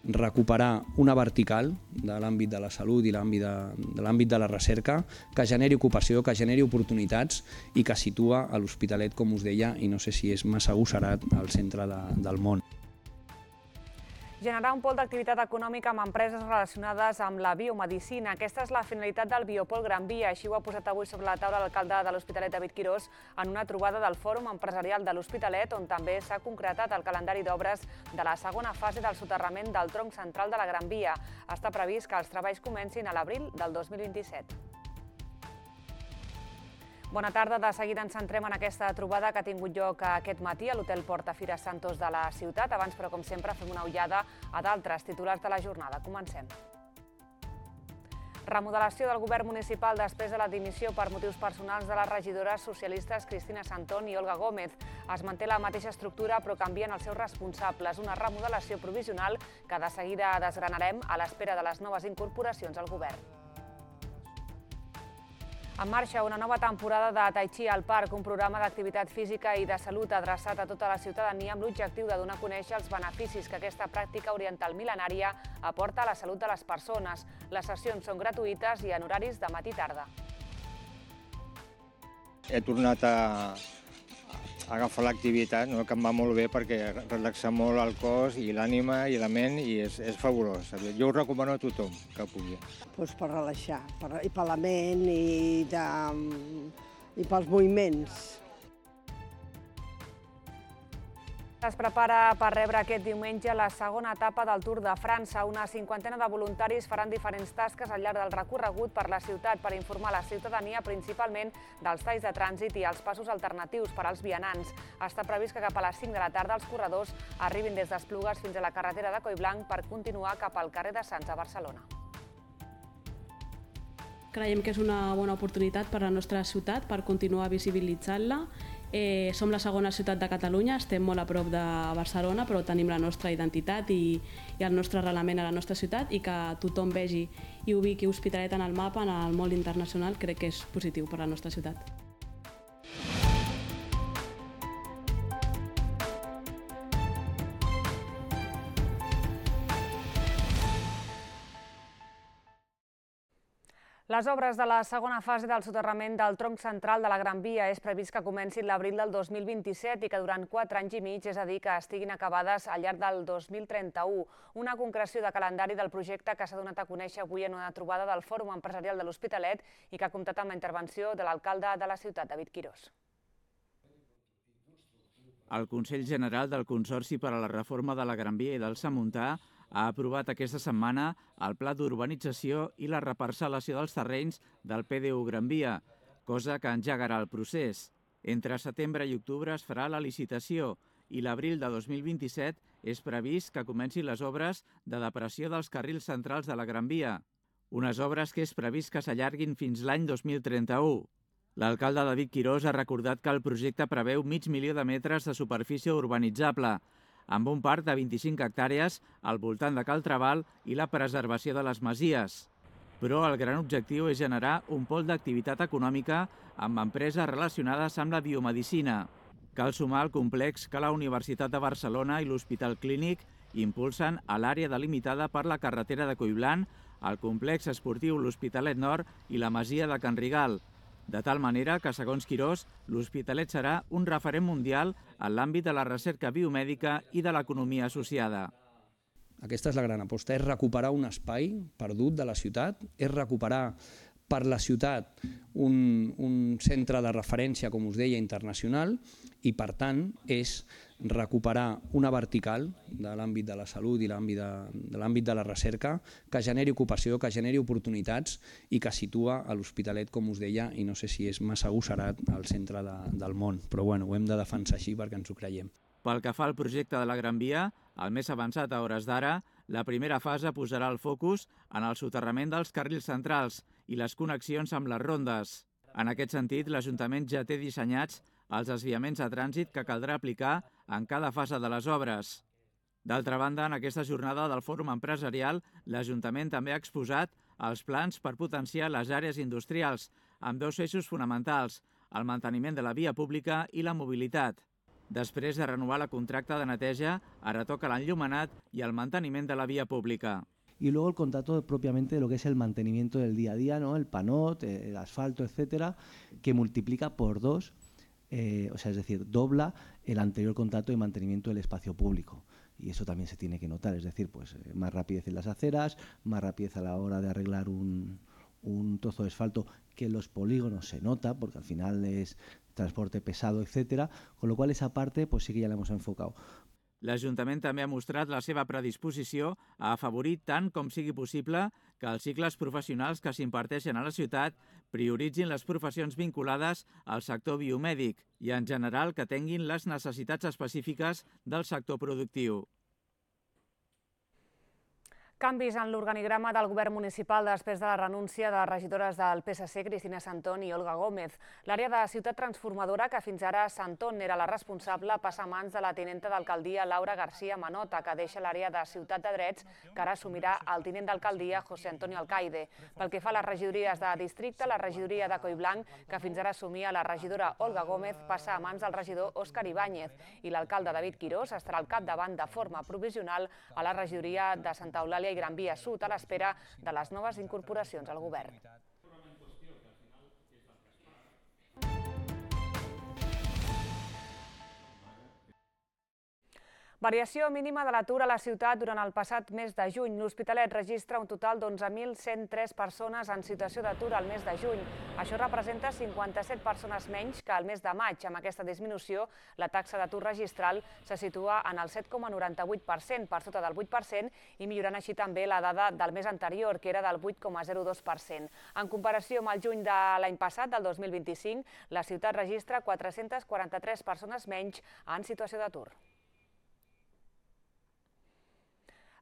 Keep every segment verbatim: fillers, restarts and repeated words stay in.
recuperar una vertical de l'àmbit de la salut i l'àmbit de, de l'àmbit de la recerca que generi ocupació, que generi oportunitats i que situa a l'Hospitalet, com us deia, i no sé si és massa agosserat, al centre de, del món. Generar un pol d'activitat econòmica amb empreses relacionades amb la biomedicina. Aquesta és la finalitat del Biopol Gran Via. Així ho ha posat avui sobre la taula l'alcalde de l'Hospitalet, David Quirós, en una trobada del Fòrum Empresarial de l'Hospitalet, on també s'ha concretat el calendari d'obres de la segona fase del soterrament del tronc central de la Gran Via. Està previst que els treballs comencin a l'abril del dos mil vint-i-set. Bona tarda. De seguida ens centrem en aquesta trobada que ha tingut lloc aquest matí a l'Hotel Portafira Santos de la ciutat. Abans, però, com sempre, fem una ullada a d'altres titulars de la jornada. Comencem. Remodelació del govern municipal després de la dimissió per motius personals de les regidores socialistes Cristina Santón i Olga Gómez. Es manté la mateixa estructura, però canvien els seus responsables. Una remodelació provisional que de seguida desgranarem a l'espera de les noves incorporacions al govern. En marxa una nova temporada de Tai Chi al Parc, un programa d'activitat física i de salut adreçat a tota la ciutadania amb l'objectiu de donar a conèixer els beneficis que aquesta pràctica oriental mil·lenària aporta a la salut de les persones. Les sessions són gratuïtes i en horaris de matí i tarda. He tornat a agafar l'activitat, que em va molt bé perquè relaxa molt el cos i l'ànima i la ment i és, és fabulós. Jo ho recomano a tothom que pugui. Pues per relaxar, per, i per la ment i, de, i pels moviments. Es prepara per rebre aquest diumenge la segona etapa del Tour de França. Una cinquantena de voluntaris faran diferents tasques al llarg del recorregut per la ciutat per informar la ciutadania principalment dels talls de trànsit i els passos alternatius per als vianants. Està previst que cap a les cinc de la tarda els corredors arribin des d'Esplugues fins a la carretera de Collblanc per continuar cap al carrer de Sants a Barcelona. Creiem que és una bona oportunitat per a la nostra ciutat per continuar visibilitzant-la. Eh, som la segona ciutat de Catalunya, estem molt a prop de Barcelona, però tenim la nostra identitat i, i el nostre arrelament a la nostra ciutat, i que tothom vegi i ubiqui Hospitalet en el mapa, en el món internacional, crec que és positiu per a la nostra ciutat. Les obres de la segona fase del soterrament del tronc central de la Gran Via és previst que comencin l'abril del dos mil vint-i-set i que durant quatre anys i mig, és a dir, que estiguin acabades al llarg del dos mil trenta-u. Una concreció de calendari del projecte que s'ha donat a conèixer avui en una trobada del Fòrum Empresarial de l'Hospitalet i que ha comptat amb la intervenció de l'alcalde de la ciutat, David Quirós. El Consell General del Consorci per a la Reforma de la Gran Via i del Samuntà ha aprovat aquesta setmana el pla d'urbanització i la reparcel·lació dels terrenys del P D U Gran Via, cosa que engegarà el procés. Entre setembre i octubre es farà la licitació i l'abril de dos mil vint-i-set és previst que comencin les obres de depressió dels carrils centrals de la Gran Via, unes obres que és previst que s'allarguin fins l'any dos mil trenta-u. L'alcalde David Quirós ha recordat que el projecte preveu mig milió de metres de superfície urbanitzable, amb un parc de vint-i-cinc hectàrees al voltant de Cal Trabal i la preservació de les masies. Però el gran objectiu és generar un pol d'activitat econòmica amb empreses relacionades amb la biomedicina. Cal sumar el complex que la Universitat de Barcelona i l'Hospital Clínic impulsen a l'àrea delimitada per la carretera de Collblanc, el complex esportiu l'Hospitalet Nord i la masia de Can Rigal, de tal manera que, segons Quirós, l'Hospitalet serà un referent mundial en l'àmbit de la recerca biomèdica i de l'economia associada. Aquesta és la gran aposta, és recuperar un espai perdut de la ciutat, és recuperar per la ciutat un, un centre de referència, com us deia, internacional, i per tant és recuperar una vertical de l'àmbit de la salut i l'àmbit de, de l'àmbit de la recerca que generi ocupació, que generi oportunitats i que situa a l'Hospitalet, com us deia, i no sé si és massa agosserat, al centre de, del món, però bueno, ho hem de defensar així perquè ens ho creiem. Pel que fa al projecte de la Gran Via, el més avançat a hores d'ara, la primera fase posarà el focus en el soterrament dels carrils centrals i les connexions amb les rondes. En aquest sentit, l'Ajuntament ja té dissenyats els desviaments de trànsit que caldrà aplicar en cada fase de les obres. D'altra banda, en aquesta jornada del Fòrum Empresarial, l'Ajuntament també ha exposat els plans per potenciar les àrees industrials, amb dos eixos fonamentals, el manteniment de la via pública i la mobilitat. Després de renovar la contracta de neteja, ara toca l'enllumenat i el manteniment de la via pública. Y luego el contrato propiamente de lo que es el mantenimiento del día a día, ¿no? El panot, el asfalto, etcétera, que multiplica por dos, eh, o sea, es decir, dobla el anterior contrato de mantenimiento del espacio público. Y eso también se tiene que notar, es decir, pues eh, más rapidez en las aceras, más rapidez a la hora de arreglar un, un trozo de asfalto, que en los polígonos se nota, porque al final es transporte pesado, etcétera, con lo cual esa parte pues sí que ya la hemos enfocado. L'Ajuntament també ha mostrat la seva predisposició a afavorir tant com sigui possible que els cicles professionals que s'imparteixen a la ciutat prioritzin les professions vinculades al sector biomèdic i, en general, que tinguin les necessitats específiques del sector productiu. Canvis en l'organigrama del govern municipal després de la renúncia de les regidores del P S C, Cristina Santón i Olga Gómez. L'àrea de ciutat transformadora, que fins ara Santón era la responsable, passa a mans de la tinenta d'alcaldia Laura García Manota, que deixa l'àrea de ciutat de drets, que ara assumirà el tinent d'alcaldia José Antonio Alcaide. Pel que fa a les regidories de districte, la regidoria de Collblanc, que fins ara assumia la regidora Olga Gómez, passa a mans del regidor Òscar Ibáñez, i l'alcalde David Quirós estarà al capdavant de forma provisional a la regidoria de Santa Eulàlia i Gran Via Sud, a l'espera de les noves incorporacions al govern. Variació mínima de l'atur a la ciutat durant el passat mes de juny. L'Hospitalet registra un total d'onze mil cent tres persones en situació d'atur al mes de juny. Això representa cinquanta-set persones menys que al mes de maig. Amb aquesta disminució, la taxa d'atur registral se situa en el set coma noranta-vuit per cent, per sota del vuit per cent, i millorant així també la dada del mes anterior, que era del vuit coma zero dos per cent. En comparació amb el juny de l'any passat, del dos mil vint-i-cinc, la ciutat registra quatre-centes quaranta-tres persones menys en situació d'atur.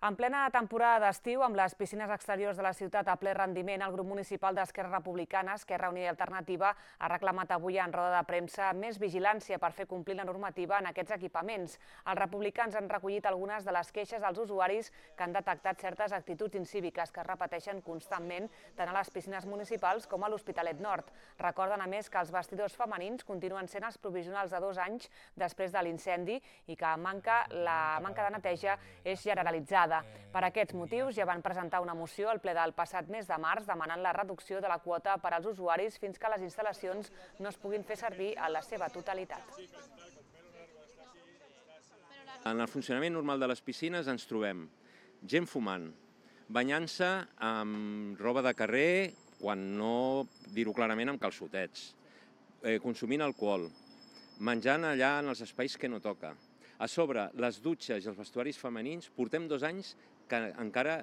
En plena temporada d'estiu, amb les piscines exteriors de la ciutat a ple rendiment, el grup municipal d'Esquerra Republicana, Esquerra Unida i Alternativa, ha reclamat avui en roda de premsa més vigilància per fer complir la normativa en aquests equipaments. Els republicans han recollit algunes de les queixes dels usuaris que han detectat certes actituds incíviques que es repeteixen constantment tant a les piscines municipals com a l'Hospitalet Nord. Recorden, a més, que els vestidors femenins continuen sent els provisionals de dos anys després de l'incendi i que la manca de neteja és generalitzada. Per aquests motius ja van presentar una moció al ple del passat mes de març demanant la reducció de la quota per als usuaris fins que les instal·lacions no es puguin fer servir a la seva totalitat. En el funcionament normal de les piscines ens trobem gent fumant, banyant-se amb roba de carrer, quan no dir-ho clarament amb calçotets, consumint alcohol, menjant allà en els espais que no toca. A sobre, les dutxes i els vestuaris femenins portem dos anys encara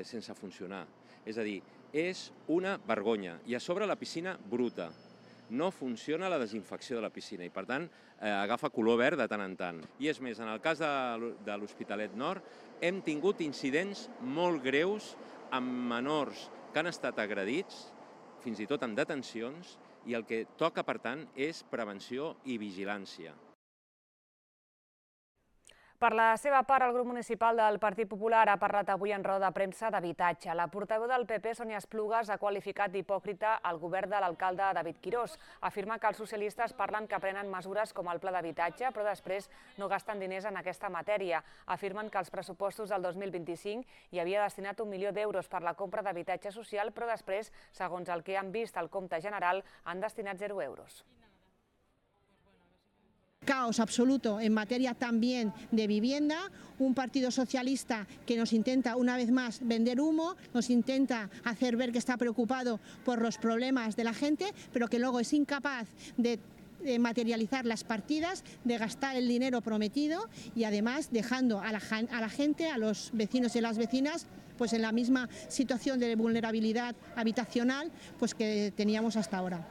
sense funcionar. És a dir, és una vergonya. I a sobre la piscina bruta. No funciona la desinfecció de la piscina i, per tant, agafa color verd de tant en tant. I és més, en el cas de l'Hospitalet Nord, hem tingut incidents molt greus amb menors que han estat agredits, fins i tot amb detencions, i el que toca, per tant, és prevenció i vigilància. Per la seva part, el grup municipal del Partit Popular ha parlat avui en roda de premsa d'habitatge. La portaveu del P P, Sònia Esplugues, ha qualificat d'hipòcrita el govern de l'alcalde David Quirós. Afirma que els socialistes parlen que prenen mesures com el pla d'habitatge, però després no gasten diners en aquesta matèria. Afirmen que als pressupostos del dos mil vint-i-cinc hi havia destinat un milió d'euros per la compra d'habitatge social, però després, segons el que han vist al compte general, han destinat zero euros. Caos absoluto en materia también de vivienda, un partido socialista que nos intenta una vez más vender humo, nos intenta hacer ver que está preocupado por los problemas de la gente, pero que luego es incapaz de materializar las partidas, de gastar el dinero prometido y además dejando a la, a la gente, a los vecinos y las vecinas, pues en la misma situación de vulnerabilidad habitacional pues que teníamos hasta ahora.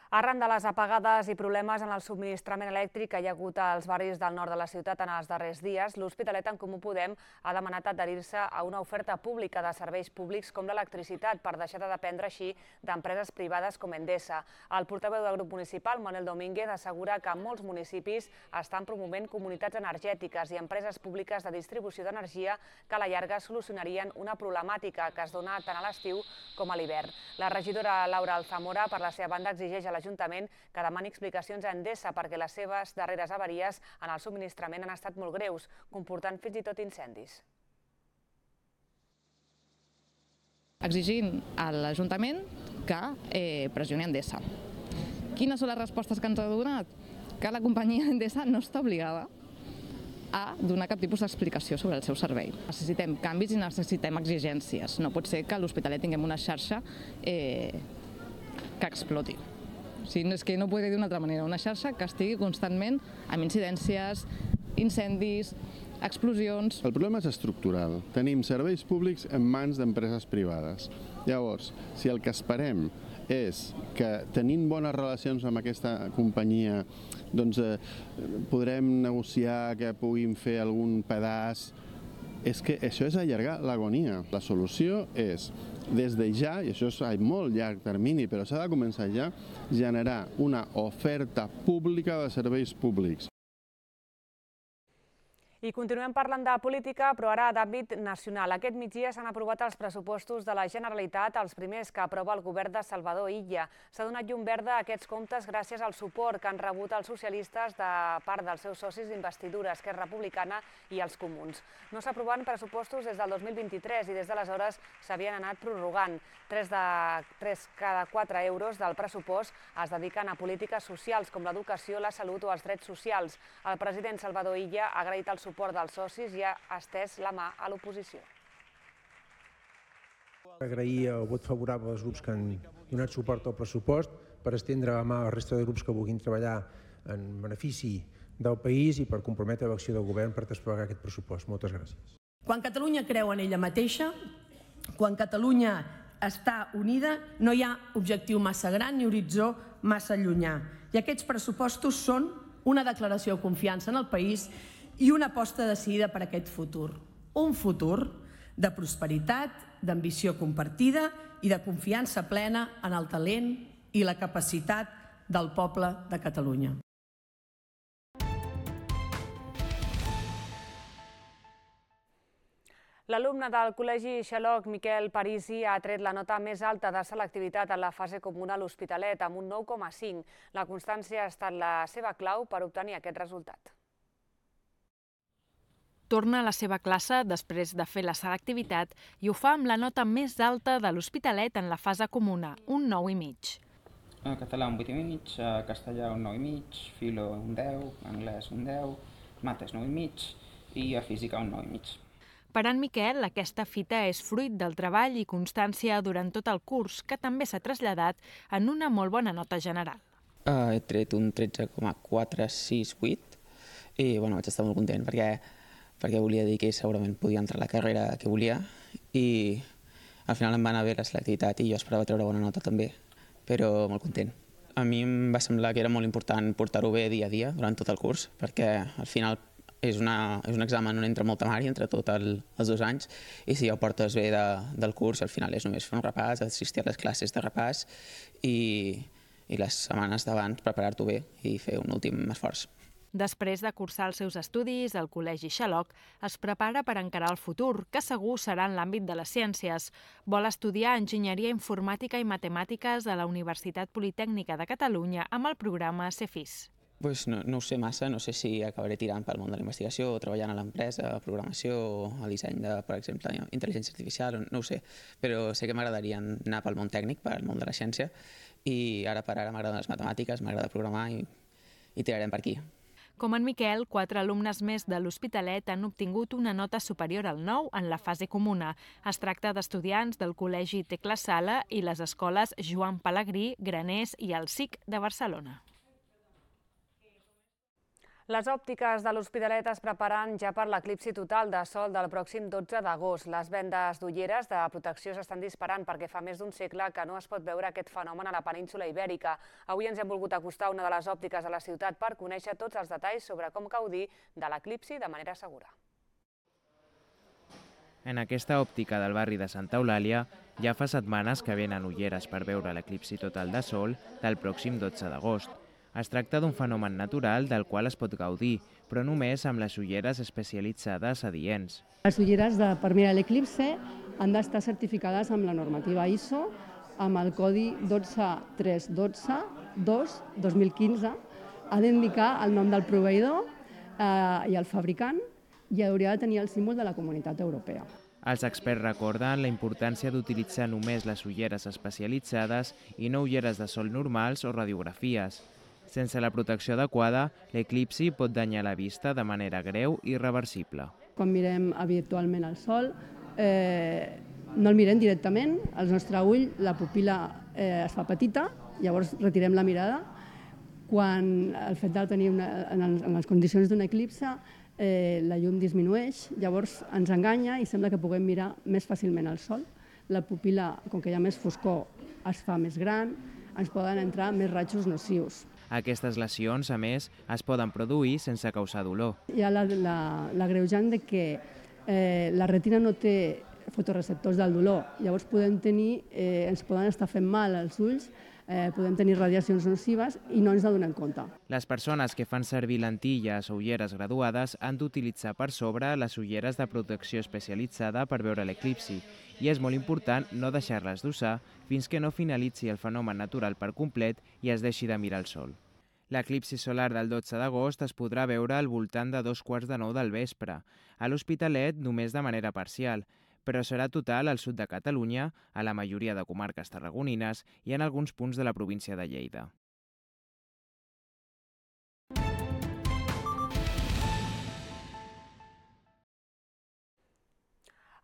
Arran de les apagades i problemes en el subministrament elèctric que hi ha hagut als barris del nord de la ciutat en els darrers dies, l'Hospitalet en Comú Podem ha demanat adherir-se a una oferta pública de serveis públics com l'electricitat per deixar de dependre així d'empreses privades com Endesa. El portaveu del grup municipal, Manuel Domínguez, assegura que molts municipis estan promovent comunitats energètiques i empreses públiques de distribució d'energia que a la llarga solucionarien una problemàtica que es dona tant a l'estiu com a l'hivern. La regidora Laura Alzamora, per la seva banda, exigeix a l'Ajuntament que demani explicacions a Endesa perquè les seves darreres avaries en el subministrament han estat molt greus, comportant fins i tot incendis. Exigint a l'Ajuntament que eh, pressioni Endesa. Quines són les respostes que ens ha donat? Que la companyia Endesa no està obligada a donar cap tipus d'explicació sobre el seu servei. Necessitem canvis i necessitem exigències. No pot ser que a l'Hospitalet tinguem una xarxa eh, que exploti. O sigui, és que no podria dir d'una altra manera. Una xarxa que estigui constantment amb incidències, incendis, explosions. El problema és estructural. Tenim serveis públics en mans d'empreses privades. Llavors, si el que esperem és que tenint bones relacions amb aquesta companyia doncs eh, podrem negociar que puguin fer algun pedaç, és que això és allargar l'agonia. La solució és, des de ja, i això és a molt llarg termini, però s'ha de començar ja, generar una oferta pública de serveis públics. I continuem parlant de política, però ara d'àmbit nacional. Aquest migdia s'han aprovat els pressupostos de la Generalitat, els primers que aprova el govern de Salvador Illa. S'ha donat llum verda a aquests comptes gràcies al suport que han rebut els socialistes de part dels seus socis d'investidura, Esquerra Republicana i els Comuns. No s'aproven pressupostos des del dos mil vint-i-tres i des d'aleshores s'havien anat prorrogant. Tres de tres cada quatre euros del pressupost es dediquen a polítiques socials com l'educació, la salut o els drets socials. El president Salvador Illa ha agraït el suport dels socis i ha estès la mà a l'oposició. Agrair el vot favorable als grups que han donat suport al pressupost per estendre la mà a la resta de grups que vulguin treballar en benefici del país i per comprometre l'acció del govern per desplegar aquest pressupost. Moltes gràcies. Quan Catalunya creu en ella mateixa, quan Catalunya està unida, no hi ha objectiu massa gran ni horitzó massa llunyà. I aquests pressupostos són una declaració de confiança en el país i una aposta decidida per aquest futur. Un futur de prosperitat, d'ambició compartida i de confiança plena en el talent i la capacitat del poble de Catalunya. L'alumne del Col·legi Xaloc, Miquel Parisi, ha tret la nota més alta de selectivitat en la fase comuna a l'Hospitalet, amb un nou coma cinc. La constància ha estat la seva clau per obtenir aquest resultat. Torna a la seva classe després de fer la selectivitat i ho fa amb la nota més alta de l'Hospitalet en la fase comuna, un nou i mig. A català un vuit i mig, a castellà un nou i mig, filo un deu, anglès un deu, mates nou i mig i a física un nou i mig. Per en Miquel, aquesta fita és fruit del treball i constància durant tot el curs, que també s'ha traslladat en una molt bona nota general. Uh, he tret un tretze coma quatre sis vuit i bueno, vaig estar molt content perquè, perquè volia dir que segurament podia entrar a la carrera que volia i al final em va anar bé la selectivitat i jo esperava treure bona nota també, però molt content. A mi em va semblar que era molt important portar-ho bé dia a dia durant tot el curs perquè al final és, una, és un examen on entra molta mària entre tots el, els dos anys i si ja ho portes bé de, del curs al final és només fer un repàs, assistir a les classes de repàs i, i les setmanes d'abans preparar-t'ho bé i fer un últim esforç. Després de cursar els seus estudis al Col·legi Xaloc, es prepara per encarar el futur, que segur serà en l'àmbit de les ciències. Vol estudiar Enginyeria Informàtica i Matemàtiques a la Universitat Politècnica de Catalunya amb el programa Cefis. Pues no, no ho sé massa, no sé si acabaré tirant pel món de la investigació o treballant a l'empresa, a programació o a disseny de, per exemple, intel·ligència artificial, no ho sé, però sé que m'agradaria anar pel món tècnic, pel món de la ciència, i ara per ara m'agraden les matemàtiques, m'agrada programar i, i tirarem per aquí. Com en Miquel, quatre alumnes més de l'Hospitalet han obtingut una nota superior al nou en la fase comuna. Es tracta d'estudiants del Col·legi Tecla Sala i les escoles Joan Pelegrí, Graners i el S I C de Barcelona. Les òptiques de l'Hospitalet es preparen ja per l'eclipsi total de sol del pròxim dotze d'agost. Les vendes d'ulleres de protecció s'estan disparant perquè fa més d'un segle que no es pot veure aquest fenomen a la península ibèrica. Avui ens hem volgut acostar a una de les òptiques de la ciutat per conèixer tots els detalls sobre com gaudir de l'eclipsi de manera segura. En aquesta òptica del barri de Santa Eulàlia ja fa setmanes que venen ulleres per veure l'eclipsi total de sol del pròxim dotze d'agost. Es tracta d'un fenomen natural del qual es pot gaudir, però només amb les ulleres especialitzades adients. Les ulleres de, per mirar l'eclipse han d'estar certificades amb la normativa I S O, amb el codi dotze tres dotze dos dos mil quinze ha d'indicar el nom del proveïdor eh, i el fabricant i hauria de tenir el símbol de la Comunitat Europea. Els experts recorden la importància d'utilitzar només les ulleres especialitzades i no ulleres de sol normals o radiografies. Sense la protecció adequada, l'eclipsi pot danyar la vista de manera greu i irreversible. Quan mirem habitualment el sol, eh, no el mirem directament, el nostre ull, la pupil·la eh, es fa petita, llavors retirem la mirada. Quan el fet de tenir una, en, en les condicions d'un eclipse, eh, la llum disminueix, llavors ens enganya i sembla que puguem mirar més fàcilment el sol. La pupil·la, com que hi ha més foscor, es fa més gran, ens poden entrar més rajos nocius. Aquestes lesions, a més, es poden produir sense causar dolor. Hi ha l'agreujant de que eh, la retina no té fotoreceptors del dolor, llavors podem tenir, eh, ens poden estar fent mal als ulls, eh, podem tenir radiacions nocives i no ens n'adonem compte. Les persones que fan servir lentilles o ulleres graduades han d'utilitzar per sobre les ulleres de protecció especialitzada per veure l'eclipsi i és molt important no deixar-les d'usar fins que no finalitzi el fenomen natural per complet i es deixi de mirar el sol. L'eclipsi solar del dotze d'agost es podrà veure al voltant de dos quarts de nou del vespre, a l'Hospitalet només de manera parcial, però serà total al sud de Catalunya, a la majoria de comarques tarragonines i en alguns punts de la província de Lleida.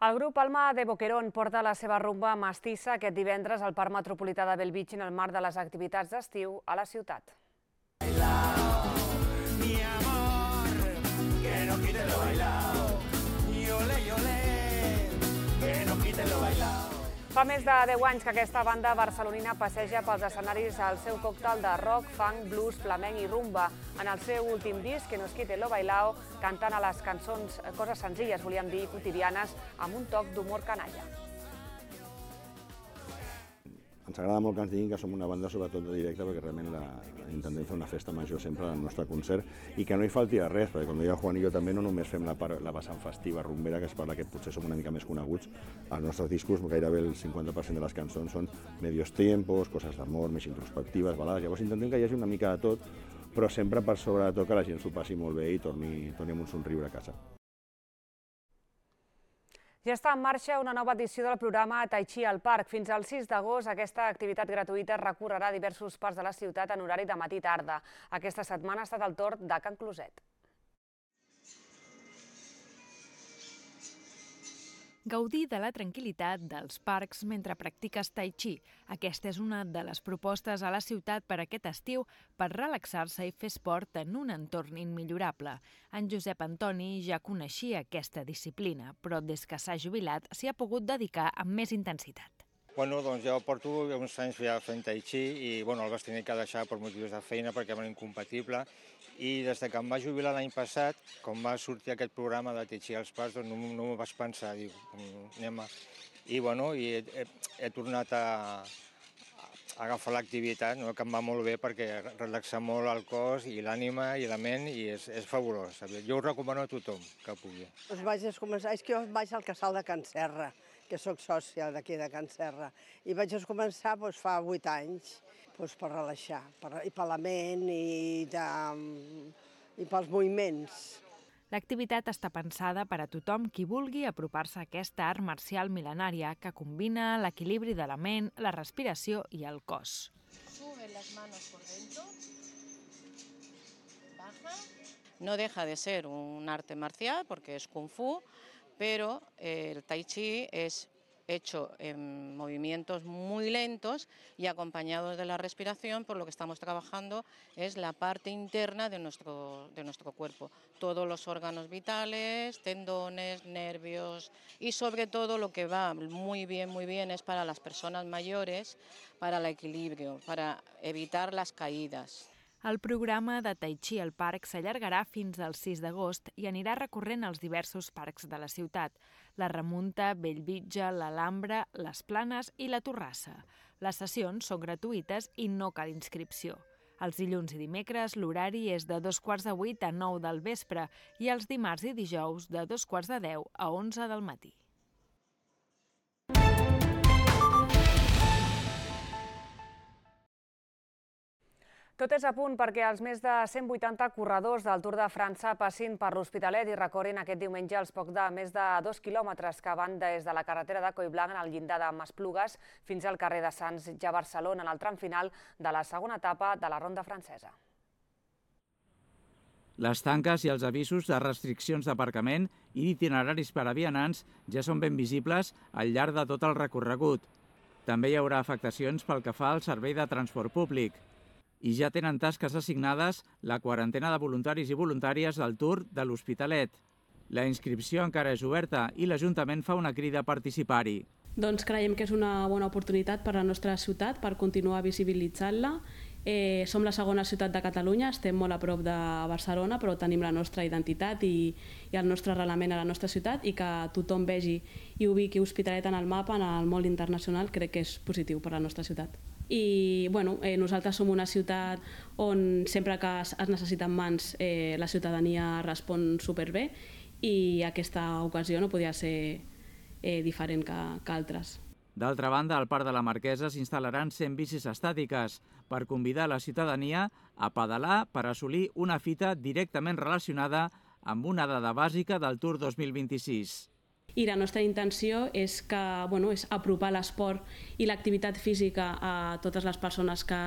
El grup Alma de Boquerón porta la seva rumba mestissa aquest divendres al Parc Metropolità de Bellvitge en el marc de les activitats d'estiu a la ciutat. Mi amor, que no quite lo bailao, y ole, y ole, que no quite lo bailao. Fa més de deu anys que aquesta banda barcelonina passeja pels escenaris al seu còctel de rock, funk, blues, flamenc i rumba. En el seu últim disc, Que nos quite lo bailao, cantant a les cançons coses senzilles, volíem dir quotidianes, amb un toc d'humor canalla. Ens agrada molt que ens diguin que som una banda sobretot de directe perquè realment la, intentem fer una festa major sempre al nostre concert i que no hi falti de res, perquè com deia Juan i jo també no només fem la, part, la vessant festiva rumbera, que és per la que potser som una mica més coneguts. Als nostres discos gairebé el cinquanta per cent de les cançons són medios tiempos, coses d'amor, més introspectives, balades. Llavors intentem que hi hagi una mica de tot, però sempre per sobre de tot que la gent s'ho passi molt bé i torni, torni amb un somriure a casa. Ja està en marxa una nova edició del programa Tai Chi al Parc. Fins al sis d'agost, aquesta activitat gratuïta recorrerà diversos parcs de la ciutat en horari de matí i tarda. Aquesta setmana ha estat el torn de Can Closet. Gaudir de la tranquil·litat dels parcs mentre practiques Tai Chi. Aquesta és una de les propostes a la ciutat per aquest estiu per relaxar-se i fer esport en un entorn immillorable. En Josep Antoni ja coneixia aquesta disciplina, però des que s'ha jubilat s'hi ha pogut dedicar amb més intensitat. Bueno, doncs jo porto uns anys ja fent Tai Chi i bueno, el vaig tenir que deixar per motius de feina perquè era incompatible i des que em vaig jubilar l'any passat, quan va sortir aquest programa de Tai Chi als parcs, doncs no, no m'ho vaig pensar, dic, anem a... I bueno, i he, he, he tornat a, a agafar l'activitat, no? Que em va molt bé perquè relaxa molt el cos i l'ànima i la ment i és, és fabulós. Jo ho recomano a tothom que pugui. Us vaig començar, és que jo vaig al casal de Can Serra, que sóc sòcia d'aquí de Can Serra, i vaig començar doncs, fa vuit anys doncs, per relaxar, per, i per la ment i, de, i pels moviments. L'activitat està pensada per a tothom qui vulgui apropar-se a aquesta art marcial mil·lenària que combina l'equilibri de la ment, la respiració i el cos. Sube las manos por dentro, baja. No deja de ser un arte marcial porque es Kung Fu, pero el Tai Chi es hecho en movimientos muy lentos y acompañados de la respiración, por lo que estamos trabajando es la parte interna de nuestro, de nuestro cuerpo. Todos los órganos vitales, tendones, nervios y sobre todo lo que va muy bien, muy bien es para las personas mayores, para el equilibrio, para evitar las caídas. El programa de Tai Chi al parc s'allargarà fins al sis d'agost i anirà recorrent els diversos parcs de la ciutat, la Remunta, Bellvitge, l'Alhambra, les Planes i la Torrassa. Les sessions són gratuïtes i no cal inscripció. Els dilluns i dimecres l'horari és de dos quarts de vuit a nou del vespre i els dimarts i dijous de dos quarts de deu a onze del matí. Tot és a punt perquè els més de cent vuitanta corredors del Tour de França passin per l'Hospitalet i recorrin aquest diumenge els poc de més de dos quilòmetres que van des de la carretera de Collblanc en el llindar de Masplugues fins al carrer de Sants, ja a Barcelona, en el tram final de la segona etapa de la ronda francesa. Les tanques i els avisos de restriccions d'aparcament i itineraris per a vianants ja són ben visibles al llarg de tot el recorregut. També hi haurà afectacions pel que fa al servei de transport públic. I ja tenen tasques assignades la quarantena de voluntaris i voluntàries del Tour de l'Hospitalet. La inscripció encara és oberta i l'Ajuntament fa una crida a participar-hi. Doncs creiem que és una bona oportunitat per a la nostra ciutat per continuar visibilitzant-la. Eh, som la segona ciutat de Catalunya, estem molt a prop de Barcelona, però tenim la nostra identitat i, i el nostre arrelament a la nostra ciutat, i que tothom vegi i ubiqui Hospitalet en el mapa, en el món internacional, crec que és positiu per a la nostra ciutat. I bueno, eh, nosaltres som una ciutat on sempre que es necessiten mans eh, la ciutadania respon superbé, i aquesta ocasió no podia ser eh, diferent que, que altres. D'altra banda, al Parc de la Marquesa s'instal·laran cent bicis estàtiques per convidar la ciutadania a pedalar per assolir una fita directament relacionada amb una dada bàsica del Tour dos mil vint-i-sis. I la nostra intenció és, que, bueno, és apropar l'esport i l'activitat física a totes les persones que,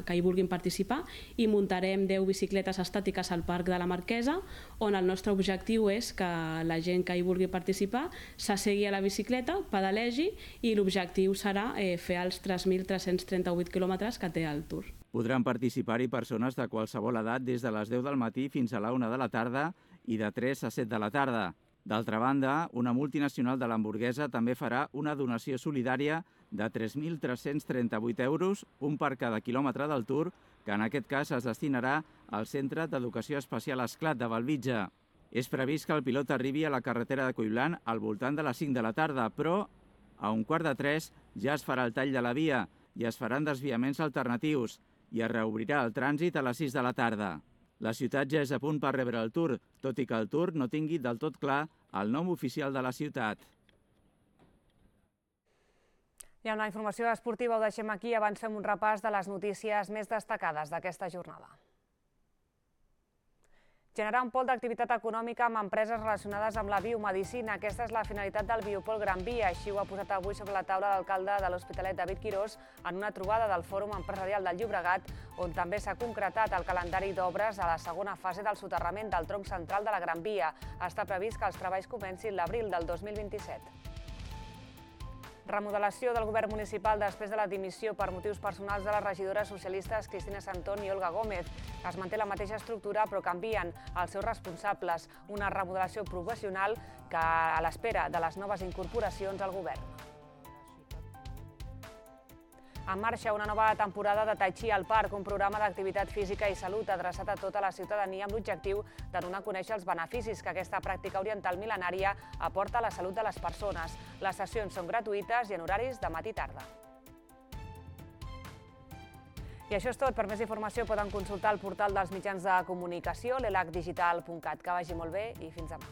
que hi vulguin participar, i muntarem deu bicicletes estàtiques al Parc de la Marquesa, on el nostre objectiu és que la gent que hi vulgui participar s'assegui a la bicicleta, pedalegi, i l'objectiu serà eh, fer els tres mil tres-cents trenta-vuit quilòmetres que té el Tour. Podran participar-hi persones de qualsevol edat des de les deu del matí fins a la una de la tarda i de tres a set de la tarda. D'altra banda, una multinacional de l'hamburguesa també farà una donació solidària de tres mil tres-cents trenta-vuit euros, un per cada quilòmetre del Tour, que en aquest cas es destinarà al Centre d'Educació Especial Esclat de Bellvitge. És previst que el pilot arribi a la carretera de Collblanc al voltant de les cinc de la tarda, però a un quart de tres ja es farà el tall de la via i es faran desviaments alternatius i es reobrirà el trànsit a les sis de la tarda. La ciutat ja és a punt per rebre el Tour, tot i que el Tour no tingui del tot clar el nom oficial de la ciutat. I amb la informació esportiva ho deixem aquí, avancem un repàs de les notícies més destacades d'aquesta jornada. Generar un pol d'activitat econòmica amb empreses relacionades amb la biomedicina. Aquesta és la finalitat del Biopol Gran Via. Així ho ha posat avui sobre la taula l'alcalde de l'Hospitalet, David Quirós, en una trobada del Fòrum Empresarial del Llobregat, on també s'ha concretat el calendari d'obres a la segona fase del soterrament del tronc central de la Gran Via. Està previst que els treballs comencin l'abril del dos mil vint-i-set. Remodelació del govern municipal després de la dimissió per motius personals de les regidores socialistes Cristina Santón i Olga Gómez. Es manté la mateixa estructura, però canvien els seus responsables. Una remodelació professional que a l'espera de les noves incorporacions al govern. En marxa una nova temporada de Tai Chi al Parc, un programa d'activitat física i salut adreçat a tota la ciutadania amb l'objectiu de donar a conèixer els beneficis que aquesta pràctica oriental mil·lenària aporta a la salut de les persones. Les sessions són gratuïtes i en horaris de matí i tarda. I això és tot. Per més informació poden consultar el portal dels mitjans de comunicació, l'elac digital punt cat. Que vagi molt bé i fins demà.